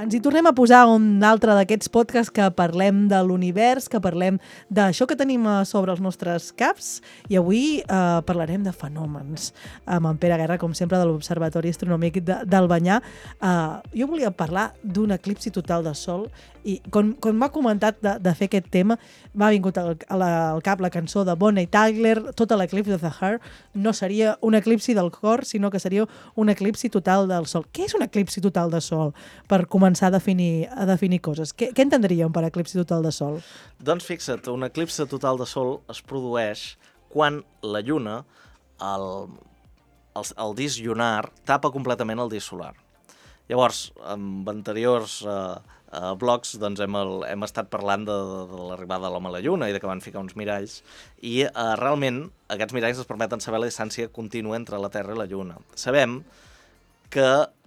Ens hi tornem a posar un altre d'aquests podcasts que parlem de l'univers, que parlem d'això que tenim sobre els nostres caps, i avui parlarem de fenòmens amb en Pere Guerra, com sempre, de l'Observatori Astronòmic d'Albanyà. Jo volia parlar d'un eclipsi total de Sol, i quan m'ha comentat de fer aquest tema, m'ha vingut al cap la cançó de Bonnie Tyler, Total Eclipse of the Heart. No seria un eclipsi del cor, sinó que seria un eclipsi total del Sol. Què és un eclipsi total de Sol? Per començar a definir coses. Què entendríem per eclipsi total de Sol? Doncs fixa't, un eclipsi total de Sol es produeix quan la Lluna, el disc lunar, tapa completament el disc solar. Llavors, amb anteriors blogs doncs hem estat parlant de l'arribada de l'home a la Lluna i de que van ficar uns miralls, i realment aquests miralls ens permeten saber la distància contínua entre la Terra i la Lluna. Sabem que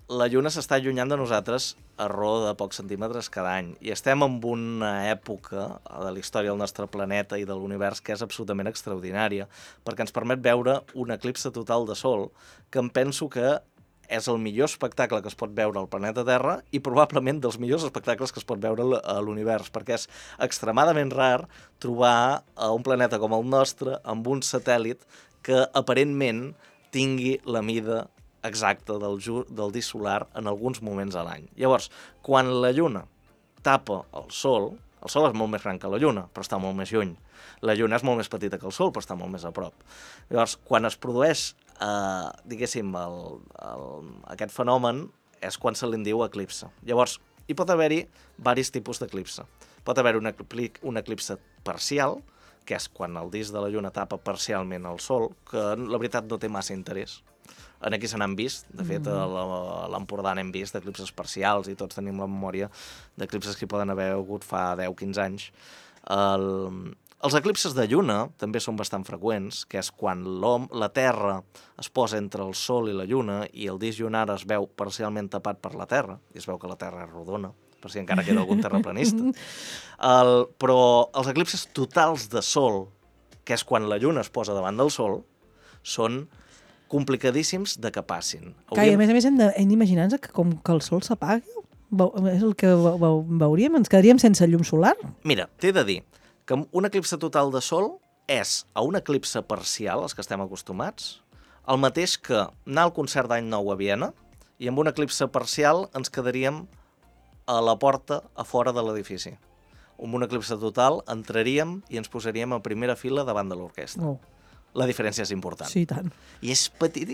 la Lluna s'està allunyant de nosaltres a raó de pocs centímetres cada any, i estem en una època de la història del nostre planeta i de l'univers que és absolutament extraordinària, perquè ens permet veure un eclipsi total de Sol, que em penso que és el millor espectacle que es pot veure al planeta Terra i probablement dels millors espectacles que es pot veure a l'univers, perquè és extremadament rar trobar un planeta com el nostre amb un satèl·lit que aparentment tingui la mida exacta del disc solar en alguns moments a l'any. Llavors, quan la Lluna tapa el Sol és molt més gran que la Lluna, però està molt més lluny. La Lluna és molt més petita que el Sol, però està molt més a prop. Llavors, quan es produeix diguéssim, aquest fenomen és quan se li diu eclipse. Llavors, hi pot haver-hi diversos tipus d'eclipse. Pot haver un eclipse parcial, que és quan el disc de la Lluna tapa parcialment el Sol, que la veritat no té massa interès. Aquí se n'han vist, de fet a l'Empordà n'hem vist d'eclipses parcials i tots tenim la memòria d'eclipses que hi poden haver hagut fa 10-15 anys. Els eclipses de Lluna també són bastant freqüents, que és quan la Terra es posa entre el Sol i la Lluna i el disc lunar es veu parcialment tapat per la Terra, i es veu que la Terra és rodona, per si encara queda algun terraplanista. Però els eclipses totals de Sol, que és quan la Lluna es posa davant del Sol, són complicadíssims de que passin. I a més hem d'imaginar-nos que com que el Sol s'apagui, és el que veuríem, ens quedaríem sense llum solar? Mira, t'he de dir que un eclipse total de Sol és a un eclipse parcial, els que estem acostumats, el mateix que anar al concert d'Any Nou a Viena, i amb un eclipse parcial ens quedaríem a la porta a fora de l'edifici. Amb un eclipse total entraríem i ens posaríem a primera fila davant de l'orquestra. Oh. La diferència és important. Sí, tant. I és petit,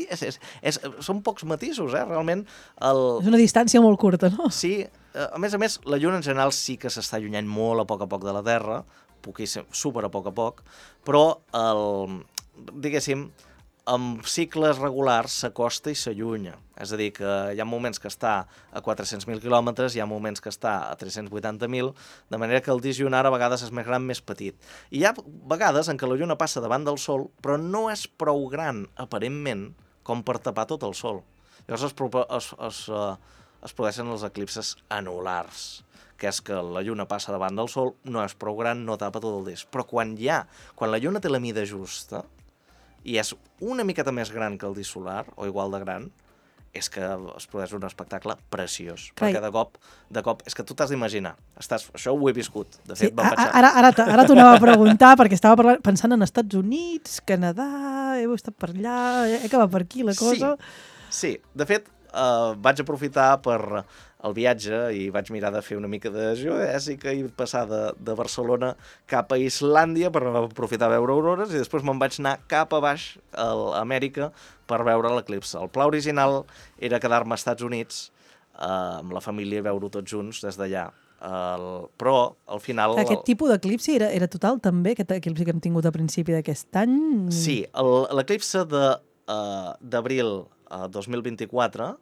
són pocs matisos, realment. És una distància molt curta, no? Sí, a més, la Lluna en general sí que s'està allunyant molt a poc de la Terra, super a poc, però, diguéssim, amb cicles regulars s'acosta i s'allunya. És a dir, que hi ha moments que està a 400.000 quilòmetres, hi ha moments que està a 380.000, de manera que el disc lunar a vegades és més gran, més petit. I hi ha vegades en què la Lluna passa davant del Sol, però no és prou gran, aparentment, com per tapar tot el Sol. Llavors es produeixen els eclipses anulars, que és que la Lluna passa davant del Sol, no és prou gran, no tapa tot el disc. Però quan la Lluna té la mida justa, i és una miqueta més gran que el disc solar, o igual de gran, és que es produeix un espectacle preciós. Perquè de cop, és que tu t'has d'imaginar. Això ho he viscut. De fet, ara t'ho anava a preguntar, perquè estava pensant en Estats Units, Canadà, heu estat per allà, que va per aquí la cosa. Sí. De fet, vaig aprofitar per el viatge i vaig mirar de fer una mica de geodèsica i passar de Barcelona cap a Islàndia per aprofitar a veure aurores, i després me'n vaig anar cap a baix a Amèrica per veure l'eclipse. El pla original era quedar-me als Estats Units amb la família i veure-ho tots junts des d'allà. Però al final... Aquest tipus d'eclipsi era total també, aquest eclipsi que hem tingut a principi d'aquest any? Sí, l'eclipse d'abril 2024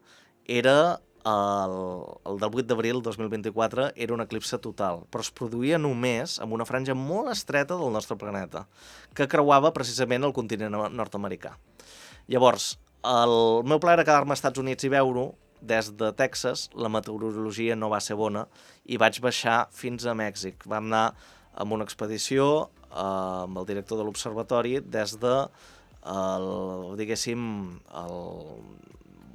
era... El del 8 d'abril 2024 era un eclipse total, però es produïa només amb una franja molt estreta del nostre planeta, que creuava precisament el continent nord-americà. Llavors, el meu pla era quedar-me als Estats Units i veure-ho. Des de Texas la meteorologia no va ser bona i vaig baixar fins a Mèxic. Vam anar amb una expedició amb el director de l'observatori des de,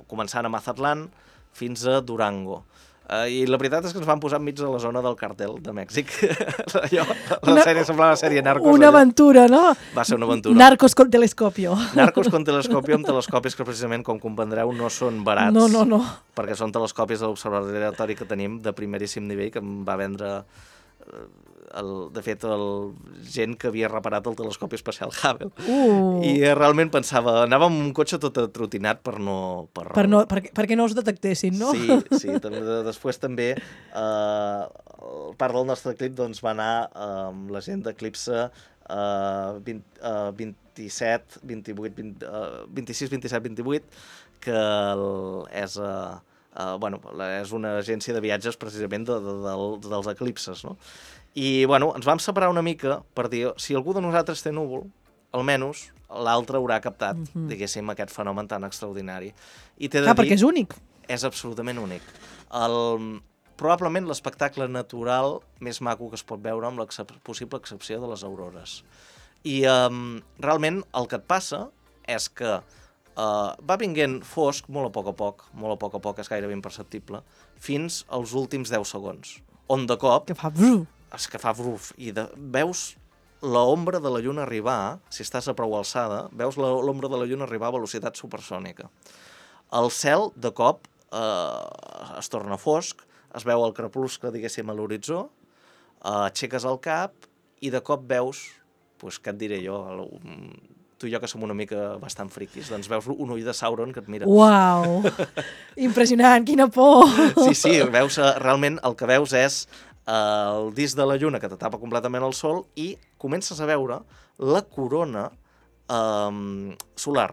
començant a Mazatlán fins a Durango. I la veritat és que ens van posar enmig de la zona del càrtel de Mèxic. Allò, la sèrie semblava una sèrie Narcos. Una aventura, no? Va ser una aventura. Narcos con telescopio. Narcos con telescopio, amb telescopis que precisament, com comprendreu, no són barats. No. Perquè són telescopis de l'observatori aleatori que tenim de primeríssim nivell, que em va vendre... de fet, gent que havia reparat el telescopi espacial Hubble. I realment pensava, anava amb un cotxe tot atrotinat perquè no us detectessin, no? Sí. Després també part del nostre clip doncs, va anar amb la gent d'Eclipse 26, 27, 28, que és una agència de viatges precisament dels eclipses, no? I, ens vam separar una mica per dir, si algú de nosaltres té núvol, almenys l'altre haurà captat, diguéssim, aquest fenomen tan extraordinari. I t'he de dir... perquè és únic. És absolutament únic. Probablement l'espectacle natural més maco que es pot veure amb la possible excepció de les aurores. I realment el que et passa és que va vinguent fosc molt a poc, és gairebé imperceptible, fins als últims 10 segons, on de cop... Que fa bruf. És que fa bruf, i veus l'ombra de la lluna arribar, si estàs a prou alçada, veus l'ombra de la lluna arribar a velocitat supersònica. El cel, de cop, es torna fosc, es veu el crepuscle, diguéssim, a l'horitzó, aixeques el cap i de cop veus, què et diré jo, tu i jo que som una mica bastant friquis, doncs veus un ull de Sauron que et mira. Uau! Impressionant, quina por! Sí, veus, realment el que veus és el disc de la lluna que t'atapa completament el sol i comences a veure la corona solar,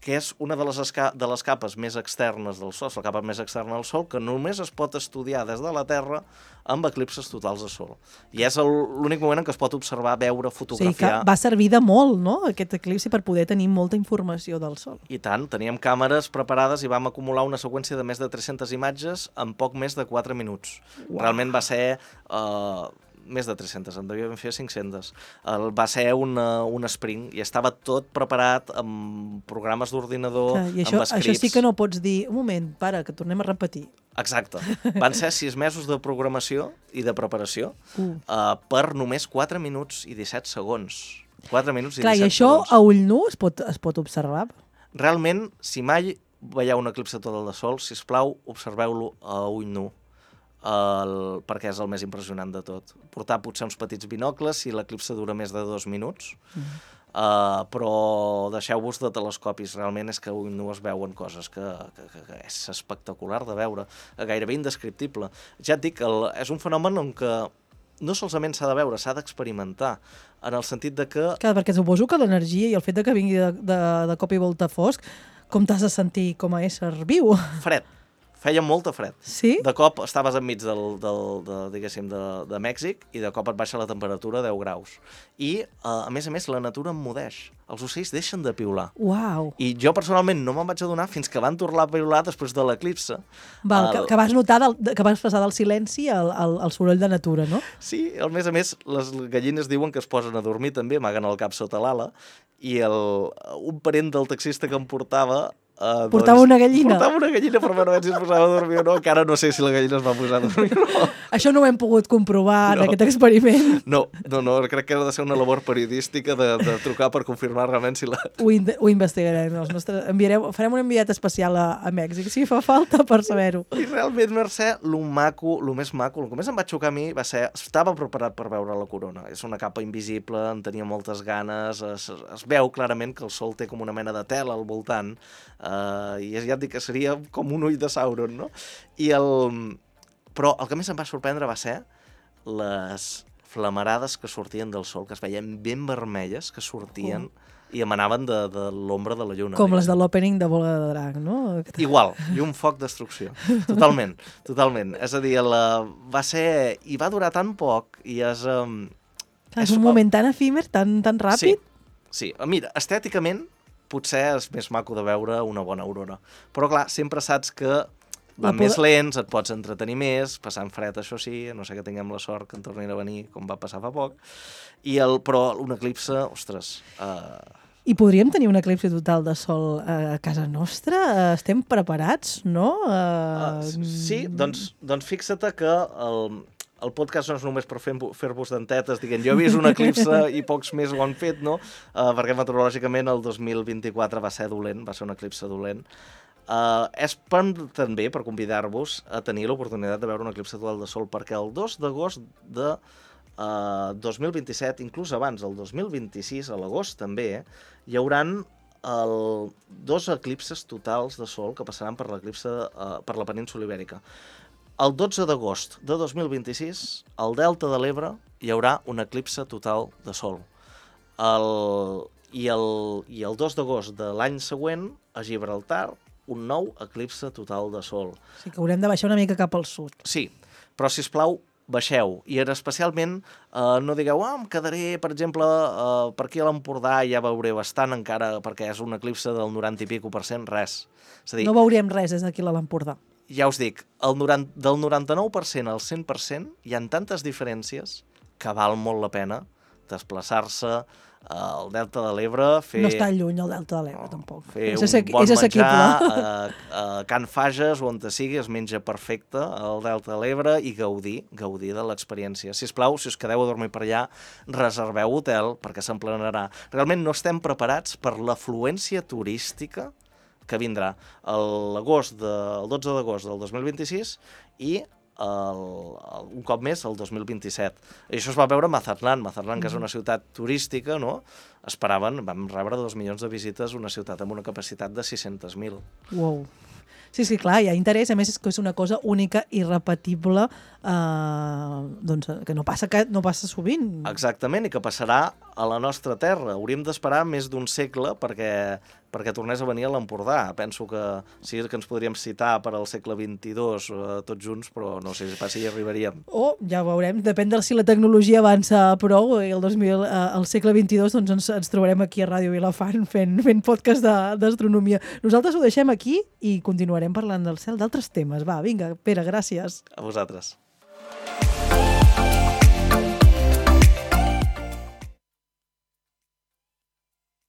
que és una de les capes més externes del sol, la capa més externa del sol, que només es pot estudiar des de la Terra amb eclipses totals de sol. I és l'únic moment en què es pot observar, veure, fotografiar... O sigui que va servir de molt, no?, aquest eclipsi per poder tenir molta informació del sol. I tant, teníem càmeres preparades i vam acumular una seqüència de més de 300 imatges en poc més de 4 minuts. Wow. Realment va ser... més de 300, en devíem fer 500. Va ser un sprint i estava tot preparat amb programes d'ordinador, amb scripts. Això sí que no pots dir, un moment, para, que tornem a repetir. Exacte. Van ser 6 mesos de programació i de preparació per només 4 minuts i 17 segons. 4 minuts i 17 segons. Clar, i això a ull nu es pot observar? Realment, si mai veieu un eclipse total de sol, sisplau, observeu-lo a ull nu. Perquè és el més impressionant de tot. Portar potser uns petits binocles si l'eclipse dura més de 2 minuts, però deixeu-vos de telescopis, realment és que no es veuen coses que és espectacular de veure, gairebé indescriptible. Ja et dic, és un fenomen en què no solament s'ha de veure, s'ha d'experimentar, en el sentit de que... Clar, perquè suposo que l'energia i el fet de que vingui de cop i volta fosc, com t'has de sentir com a ésser viu? Fred. Feia molta fred. Sí? De cop estaves enmig de Mèxic i de cop et baixa la temperatura a 10 graus. I, a més, la natura emmudeix. Els ocells deixen de piular. Uau! I jo personalment no me'n vaig adonar fins que van tornar a piular després de l'eclipse. Que vas notar que vas passar del silenci al soroll de natura, no? Sí, a més, les gallines diuen que es posen a dormir també, amaguen el cap sota l'ala, i un parent del taxista que em portava portava una gallina. Portava una gallina, però no si es posava a dormir o no. Encara no sé si la gallina es va posar a dormir o no. Això no ho hem pogut comprovar en aquest experiment. No, crec que ha de ser una labor periodística de trucar per confirmar realment si la... Ho investigarem. Farem un enviat especial a Mèxic, si fa falta, per saber-ho. I realment, Mercè, el més maco, el que més em va xocar a mi va ser... Estava preparat per veure la corona. És una capa invisible, en tenia moltes ganes, es veu clarament que el sol té com una mena de tela al voltant, i ja et dic que seria com un ull de Sauron, no? Però el que més em va sorprendre va ser les flamarades que sortien del sol, que es veien ben vermelles, que sortien i emanaven de l'ombra de la lluna. Com les de l'opening de Bola de Drac, no? Igual, i un foc destrucció. Totalment. És a dir, va ser... I va durar tan poc, i és un moment tan efímer, tan ràpid. Sí. Mira, estèticament, potser és més maco de veure una bona aurora. Però, clar, sempre saps que van més lents, et pots entretenir més, passant fred, això sí, no sé que tinguem la sort que en tornin a venir, com va passar fa poc. Però un eclipse, ostres, I podríem tenir un eclipsi total de sol a casa nostra? Estem preparats, no? Sí, doncs fixa't que el podcast no és només per fer-vos dentetes dient jo he vist un eclipse i pocs més ho han fet, no? Perquè meteorològicament el 2024 va ser dolent, va ser un eclipse dolent. És també per convidar-vos a tenir l'oportunitat de veure un eclipse total de sol, perquè el 2 d'agost de 2027, inclús abans, el 2026, a l'agost també, hi hauran 2 eclipses totals de sol que passaran per per la península Ibèrica. El 12 d'agost de 2026, al Delta de l'Ebre, hi haurà un eclipse total de sol. I el 2 d'agost de l'any següent, a Gibraltar, un nou eclipse total de sol. O sigui que haurem de baixar una mica cap al sud. Sí, però, sisplau, baixeu. I especialment no digueu, em quedaré, per exemple, per aquí a l'Empordà, ja veuré bastant encara, perquè és un eclipse del 90 i pico %, res. És a dir, no veurem res des d'aquí a l'Empordà. Ja us dic, del 99% al 100% hi ha tantes diferències que val molt la pena desplaçar-se al Delta de l'Ebre, No està lluny el Delta de l'Ebre, tampoc. Fer un bon menjar a Can Fages, on te sigui, es menja perfecte al Delta de l'Ebre i gaudir de l'experiència. Sisplau, si us quedeu a dormir per allà, reserveu hotel perquè s'emplenarà. Realment no estem preparats per l'afluència turística que vindrà el 12 d'agost del 2026 i un cop més el 2027. I això es va veure a Mazatlán, que és una ciutat turística, no? Vam rebre 2 milions de visites, una ciutat amb una capacitat de 600.000. Wow. Sí, clar, hi ha interès, a més és que és una cosa única i repetible, doncs, que no passa sovint. Exactament, i que passarà a la nostra terra. Hauríem d'esperar més d'un segle perquè tornés a venir a l'Empordà. Penso que sí que ens podríem citar per al segle XXII tots junts, però no sé si hi arribaríem. Ja ho veurem, depèn de si la tecnologia avança prou, i al segle XXII doncs ens trobarem aquí a Ràdio Vilafant fent podcast d'astronomia. Nosaltres ho deixem aquí i continuarem parlant del cel, d'altres temes. Va, vinga, Pere, gràcies. A vosaltres.